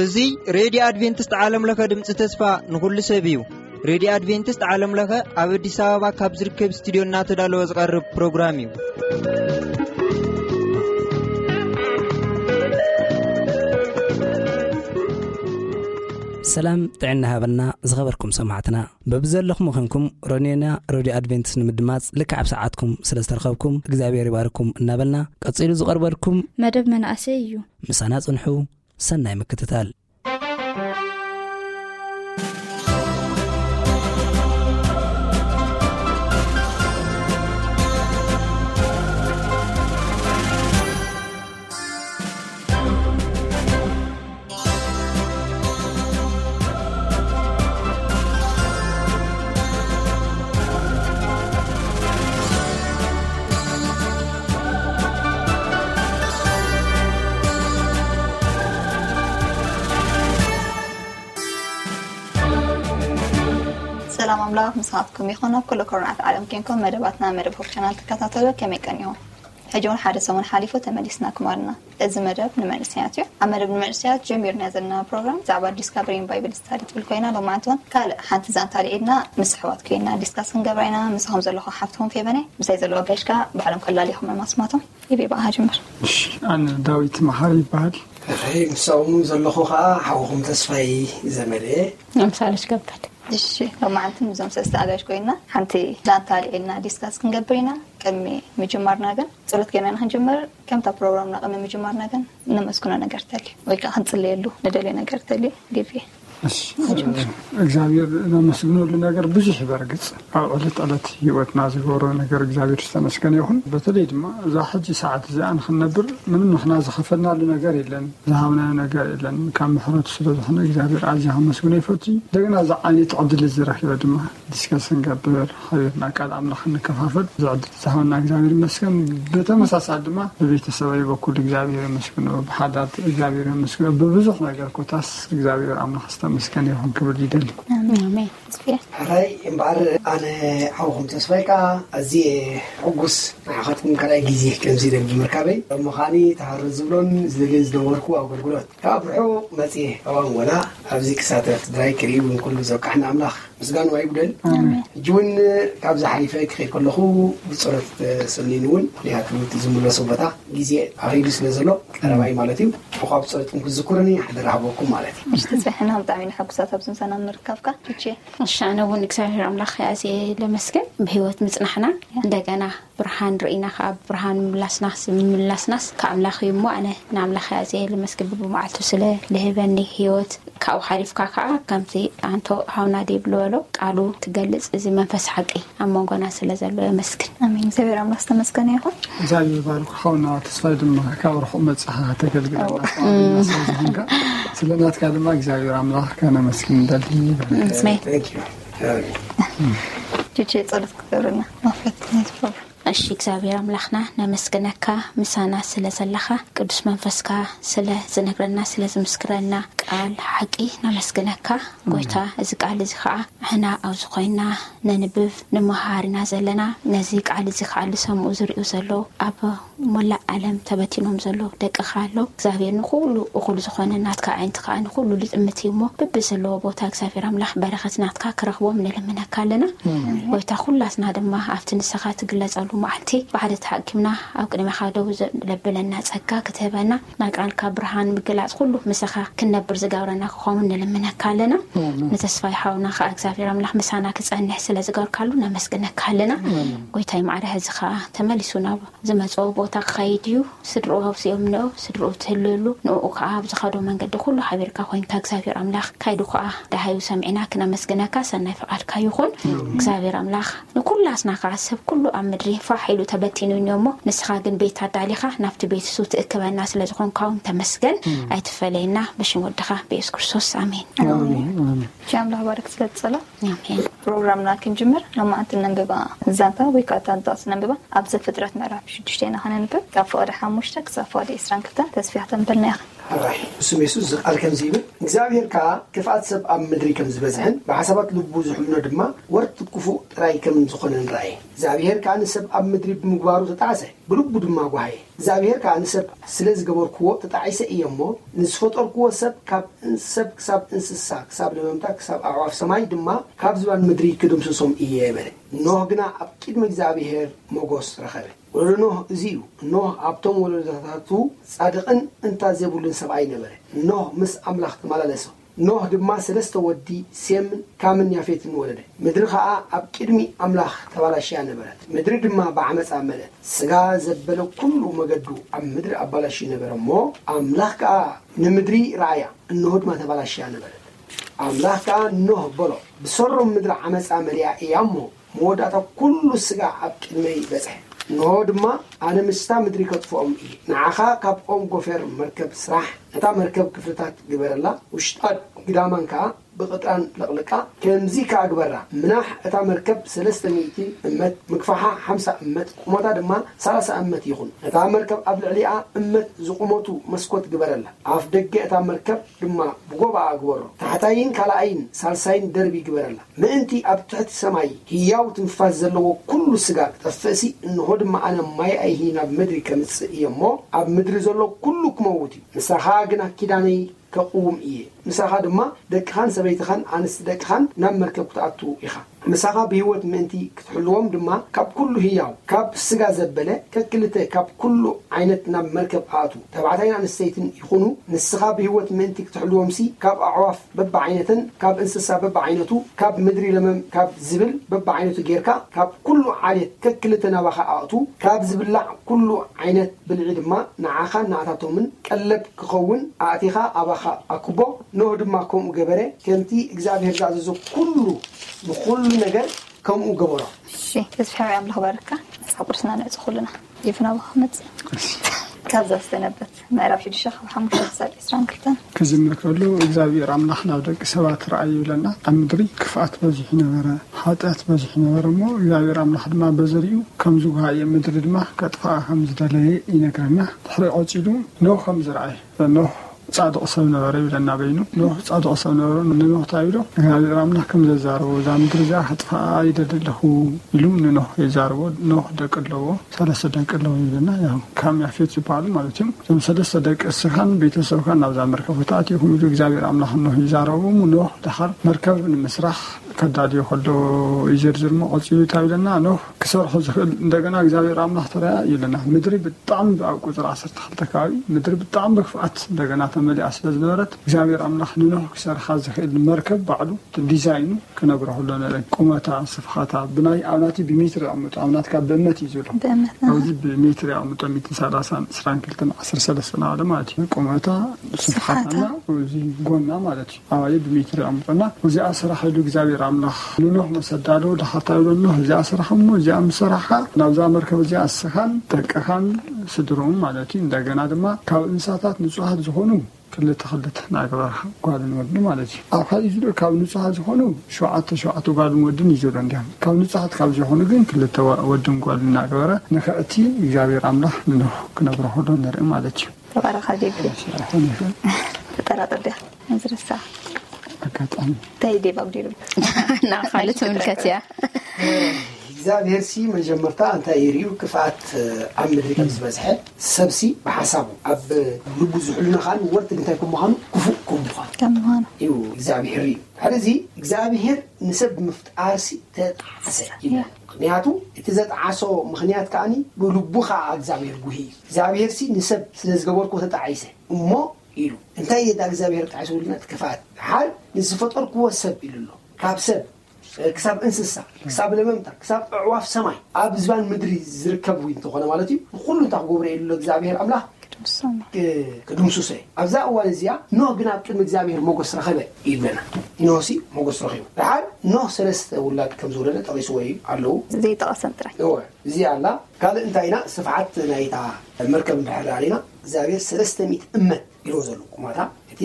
እዚ ሬድዮ ኣድቬንቲስት ዓለም ለኸ ድምፂ ተስፋ ንኹሉ ሰብ እዩ። ሬድዮ ኣድቬንቲስት ዓለም ለኸ ኣብ ኣዲስ ኣበባ ካብ ዝርከብ ስቱዲዮ እናተዳለወ ዝቐርብ ፕሮግራም እዩ። ሰላም ጥዕና ሃበና ዝኸበርኩም ሰማዕትና። በብዘለኹም ኾንኩም ሮኔና ሬድዮ ኣድቬንቲስት ንምድማፅ ልክዕ ኣብ ሰዓትኩም ስለ ዝተረኸብኩም እግዚኣብሔር ይባርኩም እናበልና፣ ቀፂሉ ዝቐርበልኩም መደብ መናእሰይ እዩ። ምሳና ጽንሑ። ሰናይ ምክትታል። ሰላም ኣምላኽ ምሳኻትኩም ይኹን። ኣብ ኩሉ ኩርናዓት ዓለም ኬንኩም መደባትና መደብ ሆፕ ቻናል ትከታተሉ ከመይ ቀኒኹም? ሕጂ እውን ሓደ ሰሙን ሓሊፉ ተመሊስና ክማልና። እዚ መደብ ንመንእሰያት እዩ። ኣብ መደብ ንመንእሰያት ጀሚርና ዘለና ፕሮግራም ብዛዕባ ዲስካቨሪንግ ባይብል ስታዲ ትብል ኮይና፣ ሎማዓንቲ እውን ካልእ ሓንቲ ዛንታ ልዒልና ምስ ኣሕዋት ኮይና ዲስካስ ክንገብራ ኢና። ምሳኹም ዘለኹ ሓፍትኹም ፌበነ፣ ምሳይ ዘለዉ ኣጋይሽ ከኣ ባዕሎም ከላሊኹም ኣስማቶም። ይቤ በኣ ጅምር። እሺ፣ ኣነ ዳዊት መሓሪ ይበሃል። እኸይ፣ ምሳኹም ዘለኹ ከኣ ሓውኹም ተስፋይ ዘመደ። ኣምሳለሽ ከበደ። እሺ፣ ሎማዓንቲ ምስዞም ሰለስተ ኣጋይሽ ኮይና ሓንቲ ዛንታ ልዒልና ዲስካስ ክንገብር ኢና። ቅድሚ ምጅማርና ግን ጸሎት ጌርና ንክንጅምር፣ ከምታ ፕሮግራምና ቅድሚ ምጅማርና ግን ነመስግኖ ነገር ተልዩ ወይ ከኣ ክንጽለየሉ ንደልዮ ነገር ተልዩ። ዲቪ። እሺ፣ እግዚኣብሔር ነመስግነሉ ነገር ብዙሕ እዩ። በርግጽ ኣብ ዕለት ዕለት ህይወትና ዝገብሮ ነገር እግዚኣብሔር ዝተመስገነ ይኹን። በተለይ ድማ እዛ ሕጂ ሰዓት እዚኣ ንክንነብር ምንም ንሕና ዝኸፈልናሉ ነገር የለን፣ ዝሃብናዮ ነገር የለን። ካብ ምሕረቱ ስለ ዝኾነ እግዚኣብሔር ኣዝያ ከመስግኖ ይፈቱ። እንደገና እዛ ዓይነት ዕድል ዝረኪበ ድማ ዲስከስ ክንገብር፣ ሓቢርና ቃል ኣምላኽ ክንከፋፈል ዝዕድል ዝሃበና እግዚኣብሔር ይመስገን። ብተመሳሳሊ ድማ ብቤተሰበይ በኩል እግዚኣብሔር የመስግኖ፣ ብሓዳት እግዚኣብሔር የመስግኖ። ብብዙሕ ነገር ኮታስ እግዚኣብሔር ኣምላኽ ዝተመስገነ ይኹን ክብል ይደሊ። ኣሜን። ኣሜን። ሕራይ እምበኣር ኣነ ሓውኹም ተስፋይ ከኣ ኣዝየ ሕጉስ ንዓኻትኩም ካልኣይ ግዜ ከምዚ ኢለ ብምርካበይ። እሞ ከኣኒ ተሃርር ዝብሎን ዝደልዮን ዝነበርኩ ኣገልግሎት ካብ ርሑቕ መጽየ ካብ ኣንጎላ ኣብዚ ክሳተፍ ትግራይ ክርኢ እውን ኩሉ ዘብቃሕኒ ኣምላኽ ምስጋኑ ኣይጉደል። ኣሜን። ሕጂ እውን ካብዚ ሓሊፈ ክኸይድ ከለኹ ብጸሎት ሰኒኑ እውን፣ ምኽንያቱ እቲ ዝምለሶ ቦታ ግዜ ኣኺሉ ስለ ዘሎ ቀረባይ ማለት እዩ። እኳ ብጸሎትኩም ክትዝክሩኒ ሓደራ ሃበኩም ማለት እዩ። እሺ፣ ተስፋሕና ብጣዕሚ ንሐጉሳት ኣብዚ ምሳና ምርካብካ። እቺ እሺ፣ ኣነ እውን እግዚኣብሔር ኣምላኽ ኣዝየ ለመስግን ብህይወት ምጽናሕና፣ እንደገና ብርሃን ርኢና ከኣ ብርሃን ምምላስና፣ ምምላስናስ ካብ ኣምላኽ እዩ እሞ፣ ኣነ ንኣምላኽ ኣዝየ ለመስግን ብመዓልቱ ስለ ልህበኒ ህይወት። ካብኡ ሓሊፍካ ከኣ ከምቲ ኣንቶ ሃውና ዴብ ዝበሎ ቃሉ ትገልጽ፣ እዚ መንፈስ ሓቂ ኣብ መንጎና ስለ ዘሎ የመስግን። ኣሜን። እግዚኣብሔር ኣምላኽ ዝተመስገነ ይኹን። እግዚኣብሔር ይባርክ። ሓውና ተስፋይ ድማ ካብ ርሑቕ መጻኻ ተገልግለና እዋ። ተዋሂብና ስለ ዝኾንካ፣ ስለ ናትካ ድማ እግዚኣብሔር ኣምላኽ ከነመስግን ንደሊ። ኣሜን። Thank you። ቺቺ ጸሎት ክትገብርና መኽፈት ናይቲ ፕሮግራም። እሺ እግዚኣብሔር ኣምላኽና ነመስግነካ፣ ምሳና ስለ ዘለኻ፣ ቅዱስ መንፈስካ ስለ ዝነግረና፣ ስለ ዝምስክረና ቃል ሓቂ ነመስግነካ። ጎይታ፣ እዚ ቃል እዚ ኸዓ ንሕና ኣብዚ ኮይና ነንብብ፣ ንመሃር ኢና ዘለና። ነዚ ቃል እዚ ኸዓ ዝሰምዑ ዝሪኡ ዘለዉ ኣብ ሞላእ ዓለም ተበቲኖም ዘለዉ ደቅኻ ኣለዉ። እግዚኣብሔር ንኹሉ እኹል ዝኾነ ናትካ ኣዒንቲ ኸዓ ንኹሉ ልጥምት እዩ እሞ፣ በብዘለዎ ቦታ እግዚኣብሔር ኣምላኽ በረኸት ናትካ ክረኽቦም ንልምነካ ኣለና። ኣሜን። ጎይታ፣ ኩላትና ድማ ኣብቲ ንስኻ ትግለጸሉ መዓልቲ ብሓደ ተሓኪምና ኣብ ቅድሜኻ ደው ዘ-፣ ለብለና ጸጋ ክትህበና፣ ናይ ቃልካ ብርሃን ምግላጽ ኩሉ ምሳኻ ክንነብር ዝገብረና ክኸውን ንልምነካ ኣለና። ኣሜን። ንተስፋይ ሓውና ኸዓ እግዚኣብሔር ኣምላኽ ምሳና ክጸንሕ ስለ ዝገርካሉ ነመስግነካ ኣለና። ኣሜን። ጎይታይ ማዕረ፣ ሕዚ ኸዓ ተመሊሱ ናብ ዝመጽኦ ቦታ ክኸይድ እዩ። ስድርኡ ኣውፅኦም ንኦ፣ ስድርኡ ትህልሉ፣ ንኡ ከዓ ኣብ ዝኸዶ መንገዲ ኩሉ ሓቢርካ ኮይንካ፣ እግዚኣብሔር ኣምላኽ ካይዱ ከዓ ደሃዩ ሰሚዕና ክነመስግነካ ሰናይ ፍቓድካ ይኹን። እግዚኣብሔር ኣምላኽ ንኩላትና ከዓ ሰብ ኩሉ ኣብ ምድሪ ፋሕ ኢሉ ተበቲኑ እኒኦ እሞ፣ ንስኻ ግን ቤት ኣዳሊኻ ናብቲ ቤት እሱ ትእክበና ስለ ዝኾንካ እውን ተመስገን። ኣይትፈለየና፣ ብሽም ወድኻ ብየሱስ ክርስቶስ ኣሜን። ኣሜን፣ ኣሜን። ቻ ኣምላኽ ባርክ ስለ ትጸሎ። ኣሜን። ፕሮግራምና ክንጅምር፣ ሎማዓንቲ ነንብባ ዛንታ ወይ ከዓ እታ ጥቕሲ ነንብባ። ኣብ ዘፍጥረት ምዕራፍ ሽዱሽተ ኢና ከነንብብ፣ ካብ ፍቕዲ ሓሙሽተ ክሳብ ፍቕዲ ዕስራን ክልተን። ተስፊያ ክተንበልና ኢኻ። ኣራይ ብስም የሱስ ዝቃል ከምዚ ይብል እግዚኣብሔር ከዓ ክፍኣት ሰብ ኣብ ምድሪ ከም ዝበዝሕን ብሓሳባት ልቡ ዝሕምኖ ድማ ወርት ክፉእ ጥራይ ከም ዝኾነን ረኣየ እግዚኣብሔር ከዓ ንሰብ ኣብ ምድሪ ብምግባሩ ተጣዕሰ ብልቡ ድማ ጓሃየ እግዚኣብሔር ከዓ ንሰብ ስለ ዝገበርክዎ ተጣዒሰ እየ እሞ ንዝፈጠርክዎ ሰብ ካብ እንሰብ ክሳብ እንስሳ ክሳብ ለመምታ ክሳብ ኣዕዋፍ ሰማይ ድማ ካብ ዝባን ምድሪ ክድምስሶም እየ በለ ኖህ ግና ኣብ ቅድሚ እግዚኣብሔር ሞጎስ ረኸበ ወለዶ ኖህ እዚ እዩ። ኖህ ኣብቶም ወለዶታቱ ጻድቕን እንታ ዘይብሉን ሰብኣይ ነበረ። ኖህ ምስ ኣምላኽ ተመላለሰ። ኖህ ድማ ሰለስተ ወዲ ሴምን ካምን ያፌትን ወለደ። ምድሪ ኸኣ ኣብ ቅድሚ ኣምላኽ ተባላሽያ ነበረት። ምድሪ ድማ ብዓመጻ መለት። ስጋ ዘበለ ኩሉ መገዱ ኣብ ምድሪ ኣባላሽዩ ነበረ እሞ ኣምላኽ ከኣ ንምድሪ ረኣያ፣ እንሆ ድማ ተባላሽያ ነበረት። ኣምላኽ ከኣ ኖህ በሎ፣ ብሰሮም ምድሪ ዓመጻ መሊኣ እያ እሞ፣ መወዳእታ ኩሉ ስጋ ኣብ ቅድመይ በጽሐ። እንሆ ድማ፣ ኣነ ምስታ ምድሪ ከጥፍኦም እየ። ንዓኻ ካብ ኦም ጎፈር መርከብ ስራሕ፣ ነታ መርከብ ክፍልታት ግበረላ፣ ውሽጣን ግዳማን ከኣ ብቕጥራን ለቕልቃ። ከምዚ ከኣ ግበራ፣ ምናሕ እታ መርከብ ሰለስተ ሚእቲ እመት፣ ምግፋሓ ሓምሳ እመት፣ ቁመታ ድማ ሰላሳ እመት ይኹን። ነታ መርከብ ኣብ ልዕሊኣ እመት ዝቑመቱ መስኮት ግበረላ። ኣፍ ደገ እታ መርከብ ድማ ብጎባኣ ግበሮ። ታሕታይን ካልኣይን ሳልሳይን ደርቢ ግበረላ። ምእንቲ ኣብ ትሕቲ ሰማይ ህያው ትንፋስ ዘለዎ ኩሉ ስጋ ክጠፍእሲ፣ እንሆ ድማ ኣነ ማይ ኣይሂ ናብ ምድሪ ከምጽእ እየ እሞ፣ ኣብ ምድሪ ዘሎ ኩሉ ክመውት እዩ። ምሳኻ ግና ኪዳነይ ከቕውም እየ። ምሳኻ ድማ ደቅኻን ሰበይትኻን ኣንስቲ ደቅኻን ናብ መርከብ ክትኣቱ ኢኻ። ምሳኻ ብህይወት ምእንቲ ክትሕልዎም ድማ ካብ ኩሉ ህያው፣ ካብ ስጋ ዘበለ ከክልተ ካብ ኩሉ ዓይነት ናብ መርከብ ኣእቱ። ተባዕታይን ኣንስተይትን ይኹኑ። ንስኻ ብህይወት ምእንቲ ክትሕልዎምሲ ካብ ኣዕዋፍ በብዓይነተን ካብ እንስሳ በብዓይነቱ ካብ ምድሪ ለመም ካብ ዝብል በብዓይነቱ ጌርካ ካብ ኩሉ ዓሌት ከክልተ ናባኻ ኣእቱ። ካብ ዝብላዕ ኩሉ ዓይነት ብልዒ ድማ ንዓኻን ንኣታቶምን ቀለብ ክኸውን ኣእቲኻ ኣባኻ ኣክቦ። ኖህ ድማ ከምኡ ገበረ። ከምቲ እግዚኣብሔር ዝኣዘዞ ኩሉ ንኹሉ ነገር ከምኡ ገበሮ። እሺ፣ ተስፋ ሓወይ ኣምላኽ ባርካ። መጽሓፍ ቅዱስና ነዕጽ ኩልና። ይፍና ባኻ መጽ። ካብዛ ዝተነበበት ምዕራፍ ሽዱሽተ ካብ ሓሙሽተ ክሳብ ዕስራን ክልተን። ክጅምር ከሎ እግዚኣብሔር ኣምላኽ ናብ ደቂ ሰባት ረኣዩ ይብለና። ኣብ ምድሪ ክፍኣት በዚሑ ነበረ፣ ሓጢኣት በዚሑ ነበረ እሞ እግዚኣብሔር ኣምላኽ ድማ በዘሪኡ ከም ዝጓሃየ ምድሪ ድማ ከጥፍኣ ከም ዝደለየ ይነግረና። ድሕሪ ቀጺሉ ኖህ ከም ዝረኣየ ኖህ ጻድቕ ሰብ ነበረ ይብለና በይኑ። ኖህ ጻድቕ ሰብ ነበረ። ንኖህ እንታይ ይብሎ? እግዚኣብሔር ኣምላኽ ከም ዘዛረቦ፣ "እዛ ምድሪ እዚኣ ከጥፍኣ ይደሊ ኣለኹ" ኢሉ ንኖህ የዛረቦ። ኖህ ደቂ ኣለዎ፣ ሰለስተ ደቂ ኣለዎ ይብለና። ያው ካም ያፌት ዝበሃሉ ማለት እዮም። እዞም ሰለስተ ደቂ እስኻን ቤተሰብካን ናብዛ መርከብ ተኣቲኹም ኢሉ እግዚኣብሔር ኣምላኽ ንኖህ ይዛረቦ። ኖህ ደሓር መርከብ ንምስራሕ ከዳልዮ ከሎ ይዝርዝር እሞ ቀጺሉ እንታይ ይብለና? ኖህ ክሰርሖ ዝኽእል እንደገና እግዚኣብሔር ኣምላኽ ተረኣ ይብለና። ምድሪ ብጣዕሚ ኣብ ቁጽሪ ዓሰርተ ክልተ ከባቢ ምድሪ ብጣዕሚ ብክፍኣት እንደገና ተመሊኣ ስለ ዝነበረት እግዚኣብሔር ኣምላኽ ንኖህ ክሰርሓ ዝኽእል መርከብ ባዕሉ ዲዛይኑ ክነግሮ ከሎ ነረ ቁመታ ስፍሓታ ብናይ ኣብናቲ ብሜትር ኣምጡ ኣብናትካ ብእመት እዩ ዝብሎ ብእመት ኣብዚ ብሜትር ኣምጦ ሚትን ሰላሳን ዕስራን ክልተን ዓሰርተ ሰለስተ ናበለ ማለት እዩ ቁመታ ስፍሓታና እዚ ጎና ማለት እዩ ኣባየ ብሜትር ኣምጦና እዚኣ ስራሕ ኢሉ እግዚኣብሔር ኣምላኽ ንኖህ መሰዳሎ ድሓታ ይብሎ ኖህ እዚኣ ስራሕ እሞ እዚኣ ምሰራሓ ናብዛ መርከብ እዚኣ እስኻን ደቅኻን ስድሮም ማለት እዩ እንደገና ድማ ካብ እንስሳታት ንጹሃት ዝኾኑ ክልተ ክልተ ናገበረ ጓልን ወድን ማለት እዩ ኣብ ሓደ ዝዶ ካብ ንጹሃት ዝኾኑ ሸውዓተ ሸውዓተ ጓልን ወድን እዩ ዘሎ እንዲያም ካብ ንጹሃት ካብ ዝኾኑ ግን ክልተ ወድን ጓልን ናገበረ ንክዕቲ እግዚኣብሔር ኣምላኽ ንኖህ ክነግሮ ከሎ ንርኢ ማለት እዩ ተባረኻ ዴቪድ። ተጠራጠር ዲኻ? ዝርሳ ኣጋጣሚ እንታይ ዴቭ ኣብዲሩ ናብ ካልእ ትምልከት እያ እግዚኣብሔር ሲ መጀመርታ እንታይ ይርእዩ ክፍኣት ኣብ ምድሪ ከም ዝበዝሐ ሰብሲ ብሓሳቡ ኣብ ልቡ ዝሕሉና ከዓ ንወርትግ እንታይ ከም ምዃኑ ክፉእ ከም ምዃኑ ከም ምዃኑ እዩ እግዚኣብሔር እዩ ሕዚ እግዚኣብሔር ንሰብ ብምፍጣርሲ ተጣዓሰ ይብል ምክንያቱ እቲ ዘጣዓሶ ምክንያት ከዓኒ ብልቡ ከዓ እግዚኣብሔር ጉሂ እዩ እግዚኣብሔር ሲ ንሰብ ስለ ዝገበርኩ ተጣዒሰ እሞ ኢሉ እንታይ እየ ዳ እግዚኣብሔር ጣዒሱ ኢልና እቲ ክፍኣት ሓር ንዝፈጠርክዎ ሰብ ኢሉ ኣሎ ካብ ሰብ ክሳብ እንስሳ ክሳብ ለመምታ ክሳብ ኣዕዋፍ ሰማይ ኣብ ዝባን ምድሪ ዝርከብ እውን እንተኾነ ማለት እዩ ንኩሉ እንታይ ክገብሮ ኢሉ ኣሎ እግዚኣብሔር ኣምላኽ ክድምስሶ እየ ኣብዛ እዋን እዚኣ ኖህ ግን ኣብ ቅድሚ እግዚኣብሔር ሞገስ ረኸበ ይብለና ኖህ ሲ ሞገስ ረኺቡ ድሓር ኖህ ሰለስተ ውላድ ከም ዝወለደ ጠቒስዎ እዩ ኣለዉ ዘይጠቐሰን ጥራይ እወ እዚኣ ኣላ ካልእ እንታይ ኢና ስፍሓት ናይታ መርከብ እንድሕር ርኢና እግዚኣብሔር ሰለስተ ሚእቲ እመት ኢልዎ ዘሎ ቁመታ እቲ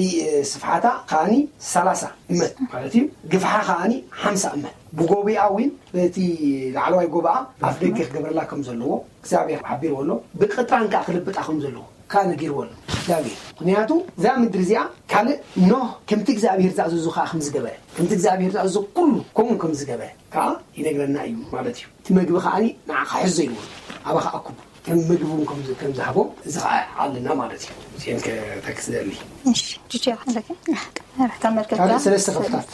ስፍሓታ ከዓኒ ሰላሳ እመት ማለት እዩ ግፍሓ ከዓኒ ሓምሳ እመት ብጎቢኣ እውን በቲ ላዕለዋይ ጎባኣ ኣፍ ደገ ክገብረላ ከም ዘለዎ እግዚኣብሔር ሓቢርዎ ኣሎ ብቅጥራን ከዓ ክልብጣ ከም ዘለዎ ከዓ ነጊርዎ ኣሎ እግዚኣብሔር። ምክንያቱ እዛ ምድሪ እዚኣ ካልእ ኖህ ከምቲ እግዚኣብሔር ዝኣዘዞ ከዓ ከም ዝገበረ፣ ከምቲ እግዚኣብሔር ዝኣዘዞ ኩሉ ከምኡ ከም ዝገበረ ከዓ ይነግረና እዩ ማለት እዩ። እቲ መግቢ ከዓ ንዓ ክሕዞ ኢልዎ ኣባኻ ኣኩቡ ከም ምግቢ እውን ከም ዝ- ከም ዝሃቦም እዚ ከዓ ኣለና ማለት እዩ። እዚአን ከተክስ ዘሊ እሺ ጁጂ ኣለኪ ራሕታ መርከብካ ካልእ ሰለስተ ክፍታት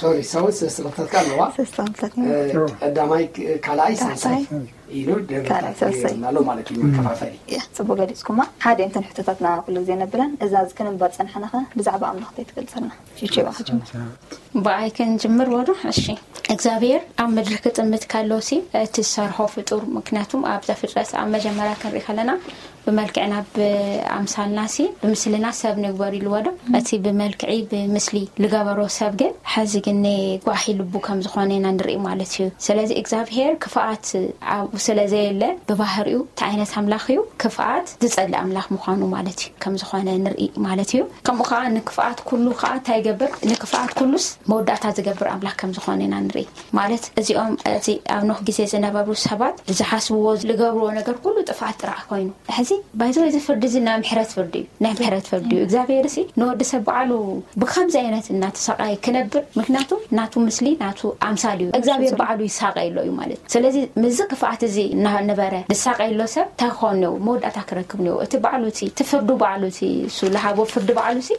ሶሪ ሰው ሰለስተ ክፍታት ከዓ ኣለዋ። ሰለስተ ክፍታት እ፣ ቀዳማይ ክ- ካልኣይ ሳልሳይ ካልኣይ ኢሉ ካልኣይ ደብታት ሳልሳይ ኣሎ ማለት እዩ። መከፋፈሊ ያ ጽቡቅ ገሊጽኩማ። ሓደ እንተን ሕቶታትና ኩሉ ግዜ ነብለን እዛ እዚ ክንንበር ጸንሐናኸ ብዛዕባ ኣምላኽ እንታይ ትገልጸልና? ጁጂ ባካ ጀምር። ብኣይ ክንጅምር ወዶ እሺ። እግዚኣብሔር ኣብ ምድሪ ክጥምት ከሎ ሲ እቲ ዝሰርሖ ፍጡር ምክንያቱም ኣብ ዘፍጥረት ኣብ መጀመርያ ክንርኢ ከለና ብመልክዕና ብኣምሳልና ሲ ብምስልና ሰብ ንግበር ኢልዎ ዶ? እቲ ብመልክዒ ብምስሊ ዝገበሮ ሰብ ግን ሐዚ ግን ጓሒ ልቡ ከም ዝኾነ ኢና ንርኢ ማለት እዩ። ስለዚ እግዚኣብሔር ክፍኣት ኣብኡ ስለ ዘየለ ብባህሪኡ እቲ ዓይነት ኣምላኽ እዩ ክፍኣት ዝጸልእ ኣምላኽ ምዃኑ ማለት እዩ ከም ዝኾነ ንርኢ ማለት እዩ። ከምኡ ከዓ ንክፍኣት ኩሉ ከዓ እንታይ ይገብር ንክፍኣት ኩሉስ መወዳእታ ዝገብር ኣምላኽ ከም ዝኾነ ኢና ንርኢ ማለት እዚኦም እዚ ኣብ ኖህ ግዜ ዝነበሩ ሰባት ዝሓስብዎ ዝገብርዎ ነገር ኩሉ ጥፍኣት ጥራሕ ኮይኑ ሕዚ ባይዘ እዚ ፍርዲ እዚ ናይ ምሕረት ፍርዲ እዩ ናይ ምሕረት ፍርዲ እዩ እግዚኣብሔር ሲ ንወዲ ሰብ በዓሉ ብከምዚ ዓይነት እናተሰቃየ ክነብር ምክንያቱ ናቱ ምስሊ ናቱ ኣምሳል እዩ እግዚኣብሔር በዓሉ ይሳቀ ኣሎ እዩ ማለት ስለዚ ምዚ ክፍኣት እዚ እናነበረ ዝሳቀ ኣሎ ሰብ እንታይ ክኸውን ነው መወዳእታ ክረክብ ነው እቲ በዓሉ እቲ እቲ ፍርዱ በዓሉ እቲ እሱ ለሃቦ ፍርዲ በዓሉ ሲ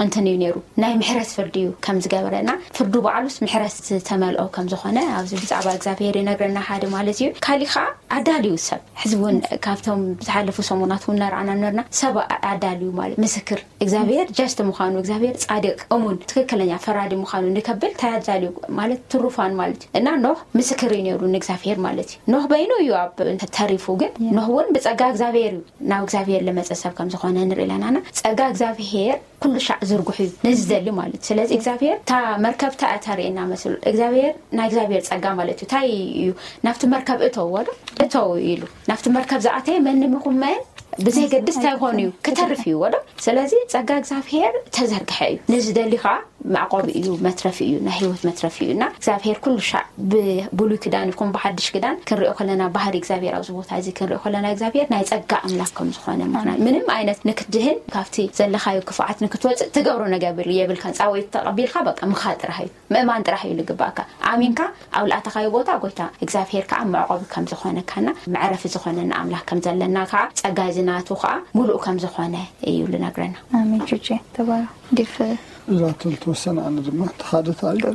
እንትን እዩ ነይሩ ናይ ምሕረት ፍርዲ እዩ ከም ዝገበረና ፍርዱ በዓሉስ ምሕረት ዝተመልኦ ከም ዝኾነ ኣብዚ ብዛዕባ እግዚኣብሔር ይነግረና ሓደ ማለት እዩ ካሊ ከዓ ኣዳልዩ ሰብ ሕዚ እውን ካብቶም ዝሓለፉ ሰሙናት እውን እናረኣና ነርና ሰብ ኣዳልዩ ማለት ምስክር እግዚኣብሔር ጀስት ምዃኑ እግዚኣብሔር ጻድቅ እሙን ትክክለኛ ፈራዲ ምዃኑ ንከብል እንታይ ኣዳልዩ ማለት ትሩፋን ማለት እዩ እና ኖህ ምስክር እዩ ነይሩ ንእግዚኣብሔር ማለት እዩ ኖህ በይኑ እዩ ኣብ ተሪፉ ግን ኖህ እውን ብጸጋ እግዚኣብሔር እዩ ናብ እግዚኣብሔር ለመጸ ሰብ ከም ዝኾነ ንርኢ ኣለናና ጸጋ እግዚኣብሔር ኩሉ ሻዕ ዝርጉሑ እዩ ነዚ ዘሊ ማለት እዩ ስለዚ እግዚኣብሔር እታ መርከብ እታ እያ ተርእየና መስሉ እግዚኣብሔር ናይ እግዚኣብሔር ጸጋ ማለት እዩ እንታይ እዩ ናብቲ መርከብ እተውዎ ዶ እተው ኢሉ ናብቲ መርከብ ዝኣተየ መንም ይኹን መን ብዘይገድስ እንታይ ይኾን እዩ ክተርፍ እዩ ወዶ ስለዚ ጸጋ እግዚኣብሔር ተዘርግሐ እዩ ነዚ ደሊ ከዓ መዕቆቢ እዩ መትረፊ እዩ ናይ ህይወት መትረፊ እዩ እና እግዚኣብሔር ኩሉ ሻዕ ብብሉይ ክዳን ይኹን ብሓድሽ ክዳን ክንሪኦ ከለና ባህሪ እግዚኣብሔር ኣብዚ ቦታ እዚ ክንሪኦ ከለና እግዚኣብሔር ናይ ጸጋ ኣምላኽ ከም ዝኾነ ምኽንያት ምንም ዓይነት ንክትድህን ካብቲ ዘለኻዮ ክፍዓት ንክትወፅእ ትገብሮ ነገር የብልካን ፃወይት ተቐቢልካ በቃ ምኻ ጥራሕ እዩ ምእማን ጥራሕ እዩ ልግባእካ ኣሚንካ ኣብ ልኣተኻዮ ቦታ ጎይታ እግዚኣብሔር ከዓ መዕቆቢ ከም ዝኾነካና መዕረፊ ዝኾነና ኣምላኽ ከም ዘለና ከዓ ጸጋ እዚ ናቱ ከዓ ሙሉእ ከም ዝኾነ እዩ ልነግረና ኣሜን ቹቼ ተባረክ ዲፍ እዛ ተልተወሰነ ኣነ ድማ ተሓደታ እዩ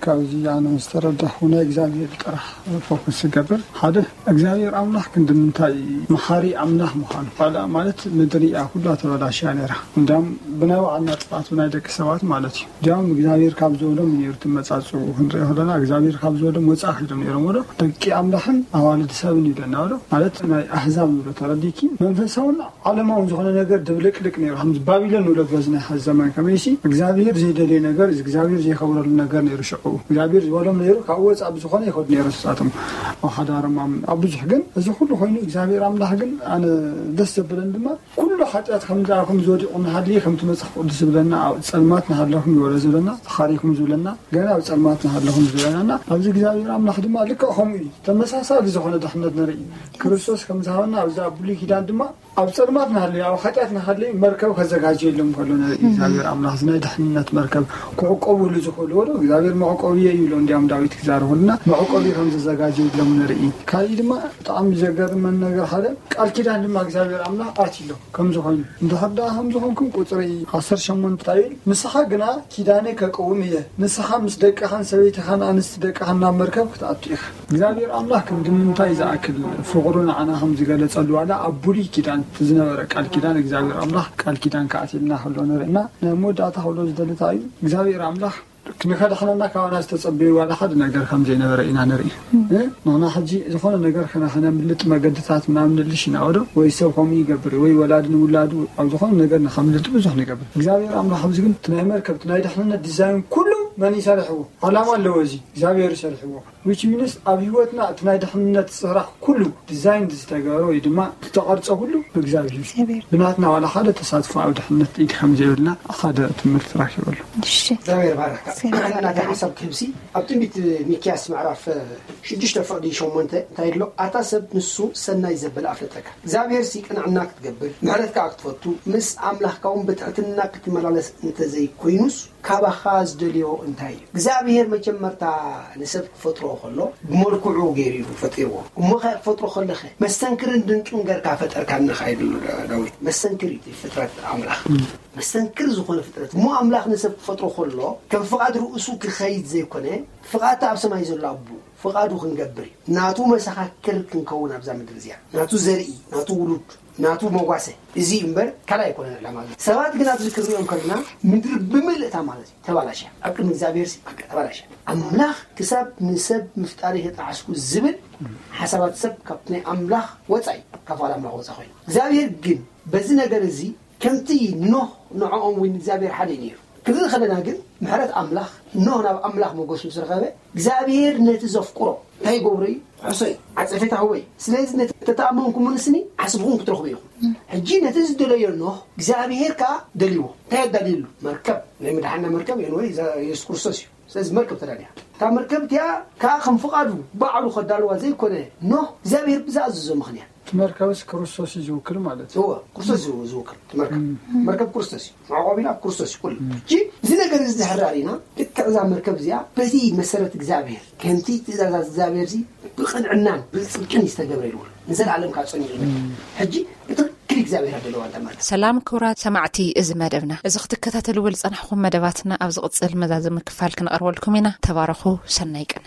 ካብዚ ኣነ ዝተረዳኹ ናይ እግዚኣብሔር ጥራሕ ፎከስ ይገብር ሓደ እግዚኣብሔር ኣምላኽ ክንዲ ምንታይ መሓሪ ኣምላኽ ምዃኑ ካልኣ ማለት ምድሪ እያ ኩላ ተበላሽያ ነይራ እንዲያም ብናይ ባዕልና ጥፋት ብናይ ደቂ ሰባት ማለት እዩ እንዲያም እግዚኣብሔር ካብ ዝበሎም ነይሩ ትመፃፅኡ ክንሪኦ ከለና እግዚኣብሔር ካብ ዝበሎም ወፃእ ከይዶም ነይሮም ወዶ ደቂ ኣምላኽን ኣዋልድ ሰብን ይብለና ወዶ ማለት ናይ ኣህዛብ ንብሎ ተረዲኪ መንፈሳውን ዓለማውን ዝኾነ ነገር ድብልቅልቅ ነይሩ ከምዚ ባቢሎን ንብሎ በዚ ናይ ሓዚ ዘመን ከመይሲ እግዚኣብሔር ዘይደልዮ ነገር እግዚኣብሔር ዘይከብረሉ ነገር ነይሩ ሽዑ እግዚኣብሔር ዝበሎም ነይሩ ካብ ወፃ ብዝኾነ ይኸዱ ነይሩ ንሳቶም ኣብ ሓዳሮም ኣብ ብዙሕ ግን እዚ ኩሉ ኮይኑ እግዚኣብሔር ኣምላኽ ግን ኣነ ደስ ዘብለን ድማ ኩሉ ሓጢኣት ከም ዝኣኹም ዝወዲቑ እናሃለየ ከምቲ መፅሓፍ ቅዱስ ዝብለና ኣብ ፀልማት እናሃለኹም ይበሎ ዝብለና ተኻሪኹም ዝብለና ገና ኣብ ፀልማት እናሃለኹም ዝብለና ኣብዚ እግዚኣብሔር ኣምላኽ ድማ ልክዕ ከምኡ እዩ ተመሳሳሊ ዝኾነ ድሕነት ንርኢ ክርስቶስ ከም ዝሃበና ኣብዚ ኣብ ብሉይ ኪዳን ድማ ኣብ ጸልማት ናሃለዩ ኣብ ሓጢኣት ናሃለዩ መርከብ ከዘጋጀየሎም ከሎ ንርኢ እግዚኣብሔር ኣምላኽ እዚ ናይ ድሕንነት መርከብ ክዕቆብሉ ዝኽእልዎ ዶ እግዚኣብሔር መዕቆብዮ እዩ ኢሎ እንዲያም ዳዊት ክዛረበልና መዕቆቢ ከም ዘዘጋጀየሎም ንርኢ ካሊእ ድማ ብጣዕሚ ዘገርመን ነገር ሓደ ቃል ኪዳን ድማ እግዚኣብሔር ኣምላኽ ኣትሎም ከም ዝኾኑ እንድሕር ደኣ ከም ዝኾንኩም ቁፅሪ ዓሰርተ ሸሞንተ ይብል ንስኻ ግና ኪዳነይ ከቅውም እየ ንስኻ ምስ ደቅኻን ሰበይትኻን ኣንስቲ ደቅኻን ናብ መርከብ ክትኣቱ ኢኻ እግዚኣብሔር ኣምላኽ ክንዲ ምንታይ ዝኣክል ፍቕሩ ንዓና ከም ዝገለጸሉ ዋላ ኣብ ብሉይ ኪዳን ዝነበረ ቃል ኪዳን እግዚኣብሔር ኣምላኽ ቃል ኪዳን ክኣትየልና ከሎ ንርኢ እና ናይ መወዳእታ ክብሎ ዝደሊ እንታይ እዩ እግዚኣብሔር ኣምላኽ ንኸድሕነና ካባና ዝተጸበዩ ዋላ ሓደ ነገር ከም ዘይነበረ ኢና ንርኢ ንሕና ሕጂ ዝኾነ ነገር ከነምልጥ መገድታት ምናምን ንልሽ ኢና ወዶ ወይ ሰብ ከምኡ ይገብር ወይ ወላዲ ንውላዱ ኣብ ዝኾነ ነገር ንኸምልጥ ብዙሕ ንገብር እግዚኣብሔር ኣምላኽ ኣብዚ ግን ናይ መርከብ ናይ ድሕንነት ዲዛይን ኩሉ መን ይሰርሕዎ? ዓላማ ኣለዎ፣ እዚ እግዚኣብሔር ይሰርሕዎ። Which means ኣብ ህይወትና እቲ ናይ ድሕነት ስራሕ ኩሉ ዲዛይን ዝተገበረ ወይ ድማ ዝተቐርጸ ኩሉ ብእግዚኣብሔር እዩ። እግዚኣብሔር። ብናትና ዋላ ሓደ ተሳትፎ ኣብ ድሕነት ኢድ ከም ዘይብልና ሓደ ትምህርቲ ረኪበሉ። እሺ። እግዚኣብሔር ባረካ። እግዚኣብሔር ባረካ። ናተይ ሓሳብ ክህብሲ ኣብ ትንቢት ሚክያስ ምዕራፍ ሽዱሽተ ፍቕዲ ሸሞንተ እንታይ ይብሎ? ኣታ ሰብ ንሱ ሰናይ ዘበለ ኣፍለጠካ። እግዚኣብሔር ሲ ቅንዕና ክትገብር ምሕረት ከዓ ክትፈቱ ምስ ኣምላኽካ እውን ብትሕትና ክትመላለስ እንተዘይኮይኑስ ካባኻ ዝደልዮ እንታይ እዩ? እግዚኣብሔር መጀመርታ ንሰብ ክፈጥሮ ከሎ ብመልክዑ ገይሩ እዩ ፈጢርዎ። እሞ ኸ ክፈጥሮ ከለኸ መስተንክርን ድንቅን ገርካ ፈጠርካኒ ኸዓ ይብል ዳዊት። መስተንክር እዩ እቲ ፍጥረት ኣምላኽ። መስተንክር ዝኾነ ፍጥረት። እሞ ኣምላኽ ንሰብ ክፈጥሮ ከሎ ከም ፍቓድ ርእሱ ክኸይድ ዘይኮነ ፍቓድ ኣብ ሰማይ ዘሎ ኣቦ ፍቓዱ ክንገብር እዩ። ናቱ መሰኻክር ክንከውን ኣብዛ ምድሪ እዚኣ። ናቱ ዘርኢ፣ ናቱ ውሉድ፣ ናቱ መጓሰ። እዚ እዩ እምበር ካልእ ኣይኮነን ዕላማ። ሰባት ግን ኣብዚ ክንሪኦም ከለና ምድሪ ብምልእታ ማለት እዩ ተባላሽያ። ኣብ ቅድሚ እግዚኣብሔር ሲ በቃ ተባላሽያ። ኣምላኽ ክሳብ ንሰብ ምፍጣር የተጣዓስኩ ዝብል ሓሳባት ሰብ ካብ ናይ ኣምላኽ ወፃኢ፣ ካብ ፍቓድ ኣምላኽ ወፃኢ ኮይኑ። እግዚኣብሔር ግን በዚ ነገር እዚ ከምቲ ኖህ ንዕኦም እውን እግዚኣብሔር ሓደ እዩ ነይሩ። ክንርኢ ከለና ግን ምሕረት ኣምላኽ ኖህ ናብ ኣምላኽ ሞገስ ምስ ረኸበ እግዚኣብሔር ነቲ ዘፍቅሮ እንታይ ይገብሮ እዩ? ክሕሶ እዩ። ዓጸፌታ ህቦ እዩ። ስለዚ ነቲ ተተኣመንኩምንስኒ ዓስብኹም ክትረኽቡ ኢኹም። ሕጂ ነቲ ዝደለዮ ኖህ እግዚኣብሔር ከኣ ደልይዎ። እንታይ ኣዳልየሉ? መርከብ። ናይ ምድሓና መርከብ እዩ ወይ የሱስ ክርስቶስ እዩ። ስለዚ መርከብ ተዳልያ። እታ መርከብ እቲኣ ከኣ ከም ፍቓዱ ባዕሉ ከዳልዋ ዘይኮነ ኖህ እግዚኣብሔር ብዝኣዘዞ ምኽንያት እቲ መርከብስ ክርስቶስ እዩ ዝውክል ማለት እዩ። እወ፣ ክርስቶስ እዩ ዝውክል። እቲ መርከብ፣ መርከብ ክርስቶስ እዩ። መዕቆቢና ክርስቶስ እዩ ኩሉ። ሕጂ እዚ ነገር እዚ ድሕር ርኢና ልክዕ እዛ መርከብ እዚኣ በቲ መሰረት እግዚኣብሔር ከምቲ ትእዛዛት እግዚኣብሔር እዚ ብቕንዕናን ብጽድቅን እዩ ዝተገብረ ይብል። ንዘለኣለም ካብ ጸኒዑ ይብል። ሕጂ ብትኽክል እግዚኣብሔር ኣለዋ እታ መርከብ። ሰላም ክቡራት ሰማዕቲ እዚ መደብና። እዚ ክትከታተልዎ ዝጸናሕኩም መደባትና ኣብ ዝቕጽል መዛዘሚ ክፋል ክንቐርበልኩም ኢና። ተባረኹ። ሰናይ ቀን።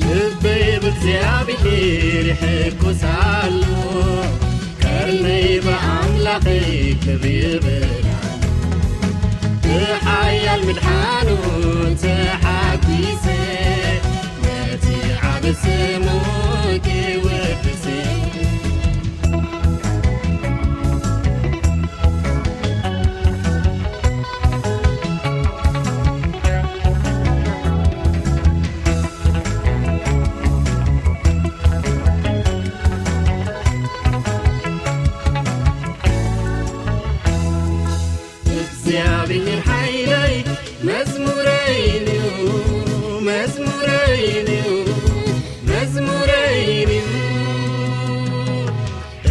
ልበይ ብእግዚኣብሔር ይሕጎስ ኣሎ፣ ቀርነይ ብኣምላኸይ ክብር ይብል ኣሎ። ብሓያል ምድሓኑ ተሓጒሰ፣ ነቲ ዓቢ ስሙ ክወድስ። እግዚኣብሔር ሓይለይ መዝሙረይ እዩ፣ መዝሙረይ እዩ፣ መዝሙረይ እዩ።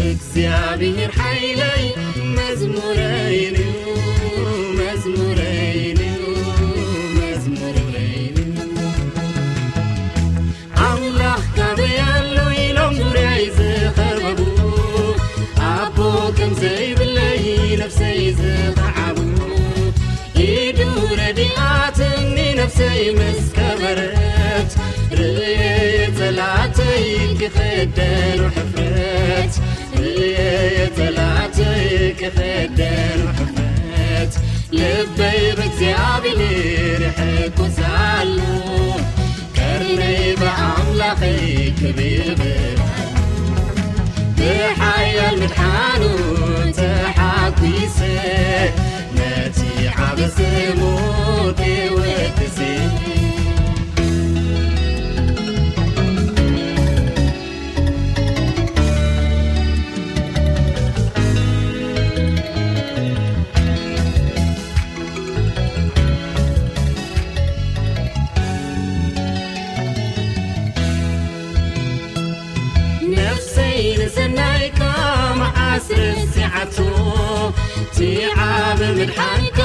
እግዚኣብሔር ሓይለይ መዝሙረይ እዩ፣ መዝሙረይ እዩ፣ መዝሙረይ እዩ። ኣምላኽ ካበይ ኣሎ ኢሎም ዙርያይ ዝኸበቡ፣ ኣቦ ከም ዘይብለይ ነፍሰይ ዝኸዓቡ፣ ኢዱ ረዲኣትኒ ነፍሰይ ምስ ከበረት፣ ርእየ ጸላእተይ ክኸደኑ ሕፍረት፣ ርእየ ጸላእተይ ክኸደኑ ሕፍረት። ልበይ ብእግዚኣብሔር ይሕጎስ ኣሎ፣ ቀርነይ ብኣምላኸይ ክብር ይብል። ብሓያል ምድሓኑ ተሓጒሰ፣ ነቲ ዓቢ ስሙ ክወድስ። ነፍሰይ ንሰናይካ መዓስ ረሲዓቶ፣ እቲ ዓቢ ምድሓንካ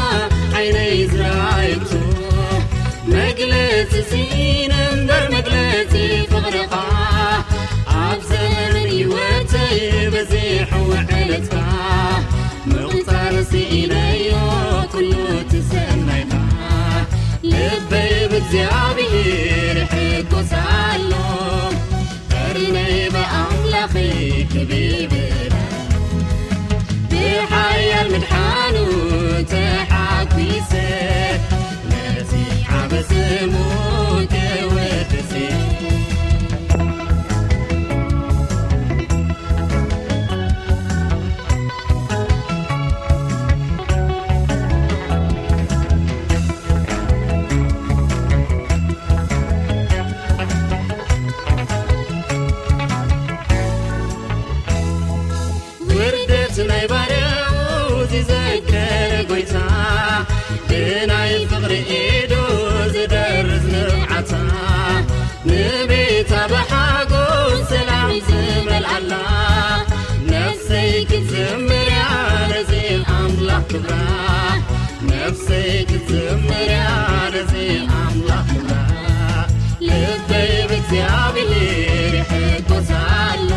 ዓይነይ ዝረኣየቶ። መግለጺ ስኢነ እምበር መግለጺ ፍቕርኻ፣ ኣብ ዘመን ህይወተይ በዚ ምቑጻር ስኢነዮ ኩሉ እቲ ሰናይካ፣ ልበይ ብእግዚኣብሔር ይሕጎስ ኣሎ። ቀርነይ ብኣምላኸይ ክብ ይብል፣ ብሓያል ምድሓኑ ተሓጒሰ፣ ነቲ ዓቢ ስሙ ክወድስ። ውርደት ናይ ባርያኡ ዝዘከረ ጎይታ፣ ብናይ ፍቕሪ ኢዱ ዝደርዝ ንብዓታ፣ ንቤታ ብሓጎስ ሰላም ዝመልኣላ፣ ነፍሰይ ክትዝምር እያ ነዚ ኣምላኽ ክብራ። ነፍሰይ ክትዝምር እያ ነዚ ኣምላኽ ክብራ። ልበይ ብእግዚኣብሔር ይሕጎስ ኣሎ።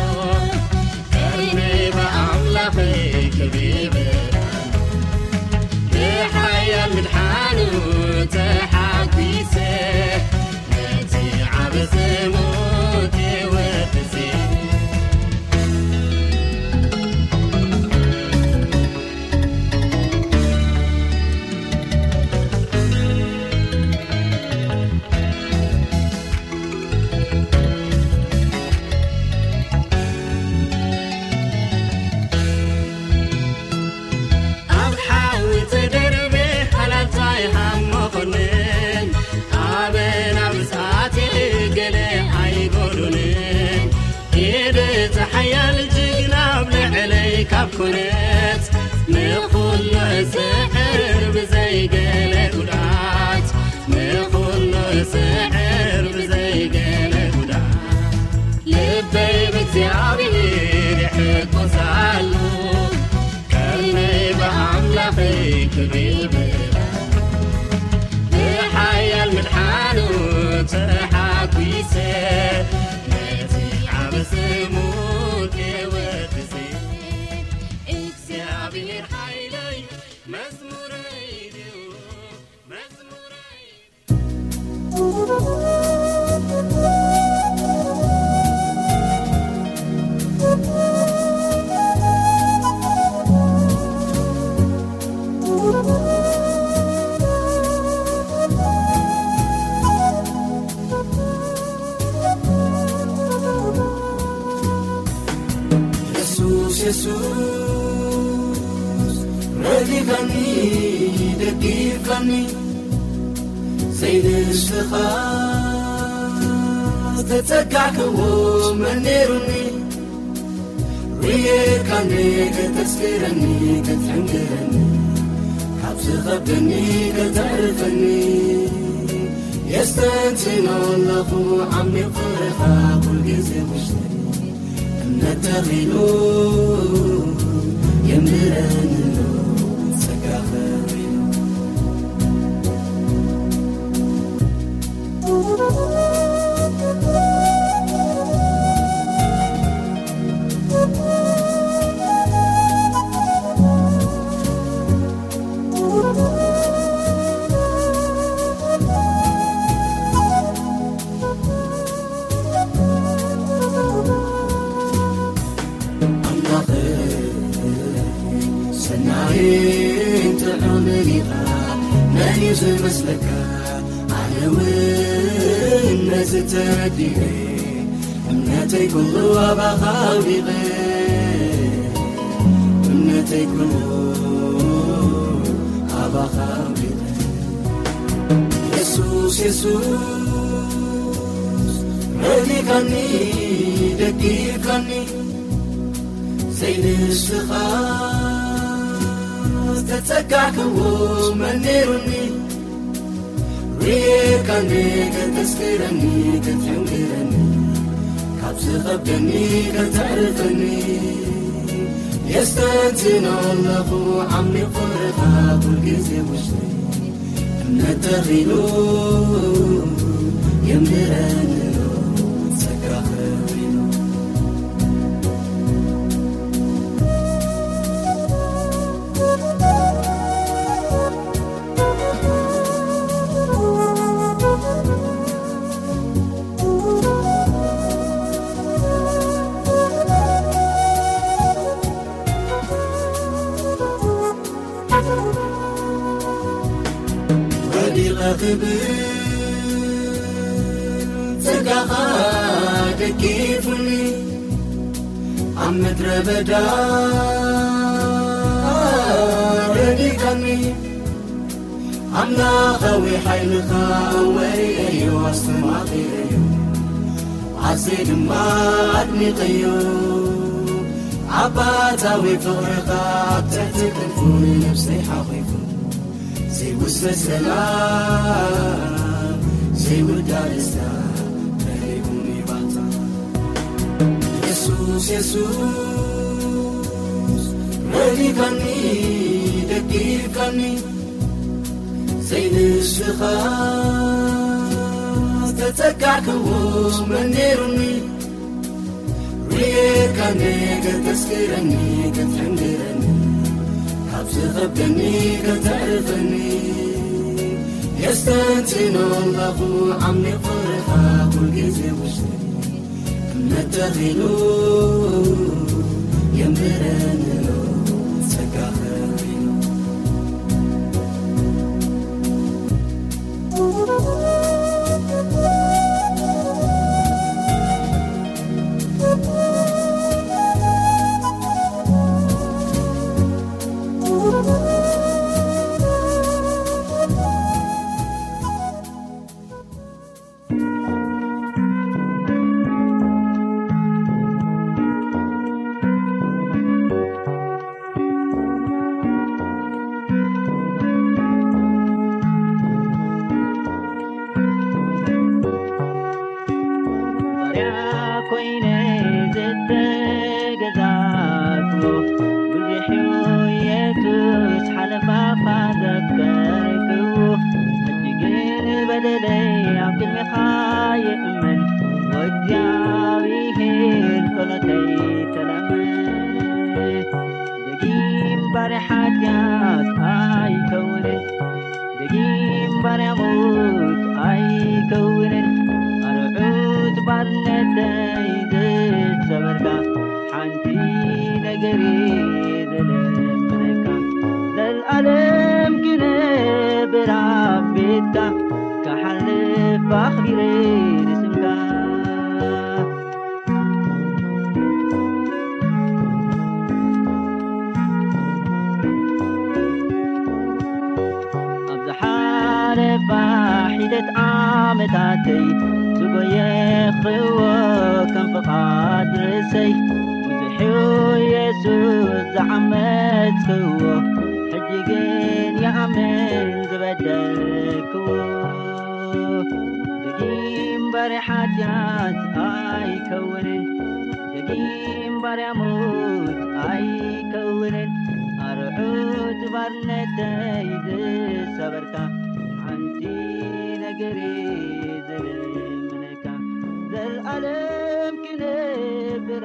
ቀርነይ ብኣምላኸይ ክብ ይብል ኣሎ። ብሓያል ምድሓኑ ተሓጒሰ፣ ነቲ ዓቢ ስሙ ክወድስ። ኣብ ሓዊ ተደርቤ ሃላልታይ ሃሞ ኾንን፣ ኣበና ምስኣቴ ገለ ኣይጎዱንን። ኢድ እቲ ሓያል ጅግና ኣብ ልዕለይ ካብ ኮነት፣ ንኹሉ እስዕር ብዘይ ገለ ጉድኣት፣ ንኹሉ እስዕር ብዘይ ገለ ጉድኣት፣ ልበይ ብእግዚኣብሔር ይሕጎስ ኣሎ። ቀርነይ ብኣምላኸይ ክብ ይብል፣ ብሓያል ምድሓኑ ተሓጒሰ፣ ነቲ ዓቢ ስሙ ክወድስ። እግዚኣብሔር ሓይለይ መዝሙረይ ድዩ፣ መዝሙረይ። የሱስ፣ የሱስ፣ ረዲኻኒ፣ ደጊፋኒ፣ ዘይንስኻ ዝተጸጋዕክዎ መን ነይሩኒ? ርየካኒ ከተስክረኒ፣ ክትሕንግረኒ፣ ካብ ዝኸብደኒ ከተዕርፈኒ። የስተንትኖ ኣለኹ ዓሚቕ ፍቕርኻ ኩልግዜ ውሽጠይ። እምነት ተኺሉ የንብረኒ ኣሎ ጸጋኸ ርኢሉ። ኣምላኸይ ሰናይን ጥዑምን ኢኻ፣ መን እዩ ዝመስለካ? ኣነ እውን ነዚ ተረዲኤ፣ እምነተይ ኩሉ ኣባኻ ኣውዲቐ፣ እምነተይ ኩሉ ኣባኻ ኣውዲቐ። የሱስ፣ የሱስ፣ ረዲኻኒ፣ ደጊፍካኒ፣ ዘይንስኻ ዝተጸጋዕክዎ መን ነይሩኒ? ርኤካኒ ከተስክረኒ፣ ክትሕንግረኒ፣ ካብ ዝኸብደኒ ከተዕርፈኒ። የስተንትኖ ኣለኹ ዓሚቕ ፍቕርኻ ኩልግዜ ውሽጠይ። እምነት ተኺሉ የንብረኒ ኣሎ ጸጋኸ ርኢሉ። ክብር ጸጋኻ ደጊፉኒ፣ ኣብ ምድረ በዳ ረዲካኒ። ኣምላኻዊ ሓይልኻ ወሪኤዮ ኣስተማቒረዮ፣ ኣዝየ ድማ ኣድኒቐዮ። ኣባታዊ ፍቕርኻ ኣብ ትሕቲ ክንፉ ንነብሰይ ሓቑፉ፣ ዘይውሰድ ሰላም ዘይውዳእ ደስታ መሊኡኒ ባህታ። የሱስ የሱስ ረዲካኒ ደጊፍካኒ፣ ዘይንስኻ ዝተጸጋዕክዎ መን ነይሩኒ? ርኤካኒ ከተስክረኒ፣ ከተንግረኒ፣ ካብ ዝኸብደኒ ከተዕርፈኒ። የስተንትኖ ኣለኹ ዓሚቕ ፍቕርኻ ኩልግዜ ውሽጠይ። እምነት ተኺሉ የንብረኒ ኣሎ ጸጋኻ ርኢሉ። ባርያ ኮይነ ዝተገዛእኩ፣ ብዙሕ እዩ የሱስ ሓለፋኻ ዘፍቀርኩ። ሕጂ ግን በደለይ ኣብ ቅድሜኻ ይእመን፣ ወእግዚኣብሔር ጸሎተይ ተለመን። ደጊም ባርያ ሓጢኣት ኣይከውንን፣ ደጊም ባርያ ሞት ኣይከውንን። ኣርዑት ባርነተይ ዝሰበርካ፣ ሓንቲ ነገር እየ ዝልምነካ፣ ዘልኣለም ክነብር ኣብ ቤትካ፣ ክሓልፍ ኣኽቢረ ንስምካ። ኣብ ዝሓለፋ ሒደት ዓመታተይ ዝጎየኽዎ ከም ፍቓድ ርእሰይ፣ ብዙሕ እዩ የሱስ ዝዓመጽክዎ፣ ሕጂ ግን ይኣምን ዝበደልክዎ። ደጊም ባርያ ሓጢኣት ኣይከውንን፣ ደጊም ባርያ ሞት ኣይከውንን። ኣርዑት ባርነተይ ዝሰበርካ፣ ሓንቲ ነገር እየ ዝልምነካ፣ ዘልኣለም ክነብር